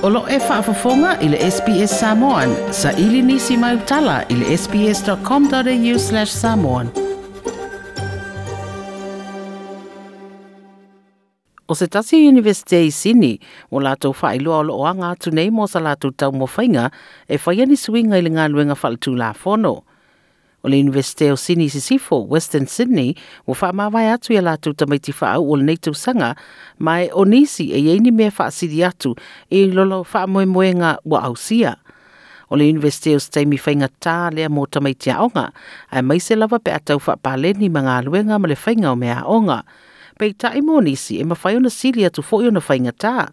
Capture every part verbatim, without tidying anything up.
O lo e faafofoga i le S B S Samoan, saili nisi mai tala i le S B S dot com dot A U slash samoan. O se tasi Universite i Sini, o latou faailoa o loo aga atu nei mo sa latou taumafaiga e faia ni suiga i le galuega faaletulafono. O le Universite o Sini Sisifo, Western Sydney, ua faamavae atu ia latou tamaiti faauu o lenei tausaga, ma e o nisi e iai ni mea faasili atu i lolo faamoemoega ua ausia. O le Universite o se taimi faigata lea mo tamaiti aoga, aemaise lava pe a tau faapaleni ma galuega ma le faiga o mea aoga. Peitai mo nisi e mafai ona sili atu foi ona faigata.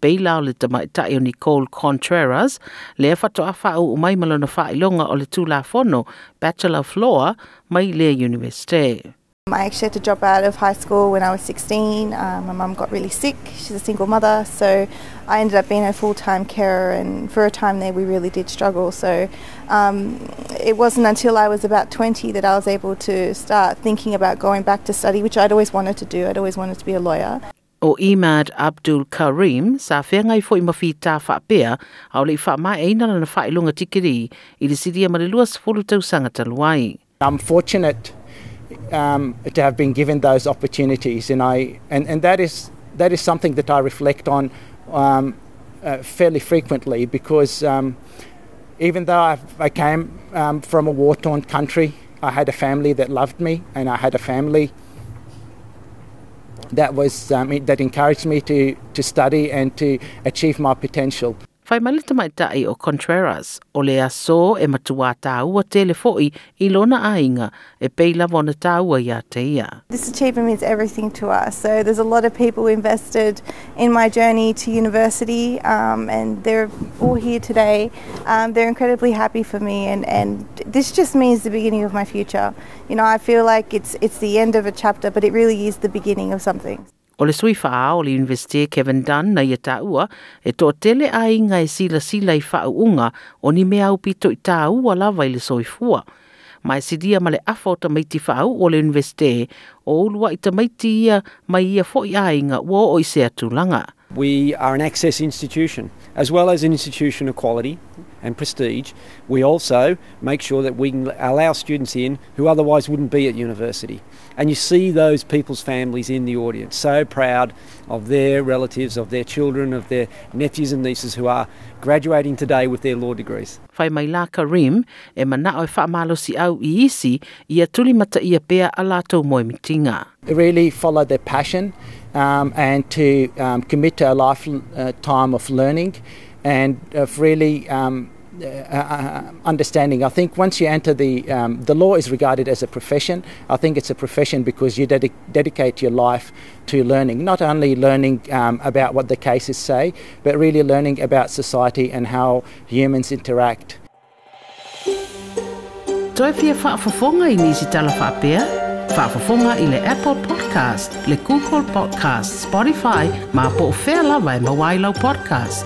Pei la o le tamaitai o Nicole Contreras, lea faatoa faauu mai ma lona faailoga o le Tulafono, Bachelor of Law, mai lea Universite. I actually had to drop out of high school when I was sixteen. Um, my mum got really sick. She's a single mother, so I ended up being a full-time carer, and for a time there we really did struggle. So um, it wasn't until I was about twenty that I was able to start thinking about going back to study, which I'd always wanted to do. I'd always wanted to be a lawyer. O Imad Abdul Karim sa feagai foi ma fita faapea a o le i faamaeaina lana faailoga tikeri i le silia ma le lua sefulu tausaga talu ai. I'm fortunate um, to have been given those opportunities, and I and, and that is that is something that I reflect on um, uh, fairly frequently because um, even though I've, I came um, from a war-torn country, I had a family that loved me, and I had a family that was um, that encouraged me to to study and to achieve my potential. Fai mai le tamaitai o Contreras, o le aso e matuā tāua tele foi i lona aiga e pei lava ona tāua ia te ia. This achievement means everything to us. So there's a lot of people invested in my journey to university, um, and they're all here today. Um, they're incredibly happy for me, and, and this just means the beginning of my future. You know, I feel like it's it's the end of a chapter, but it really is the beginning of something. O le sui whaao o le Universite Kevin Dunn na ia tāua e toatele aiga e silasila i faauuga o ni mea aupito i tāua lava i le soifua. Ma e silia ma le afa o tamaiti faauu o le Universite o uluai tamaiti ia mai ia foi aiga ua oo i sea tulaga. We are an access institution. As well as an institution of quality and prestige, we also make sure that we can allow students in who otherwise wouldn't be at university. And you see those people's families in the audience, so proud of their relatives, of their children, of their nephews and nieces who are graduating today with their law degrees. Fai mai la Karim e manao e whaamalosi au i isi ia tuli mata ia pea a latou moemitiga. Really follow their passion um, and to um, commit to a lifetime of learning and of really um, uh, uh, understanding. I think once you enter the um, the law is regarded as a profession. I think it's a profession because you dedi- dedicate your life to learning, not only learning um, about what the cases say, but really learning about society and how humans interact. Toe fia faafofoga i nisi tala faapea? Faafofoga i le Apple Podcast, le Google Podcast, Spotify, ma po o fea lava e maua ai lau podcast.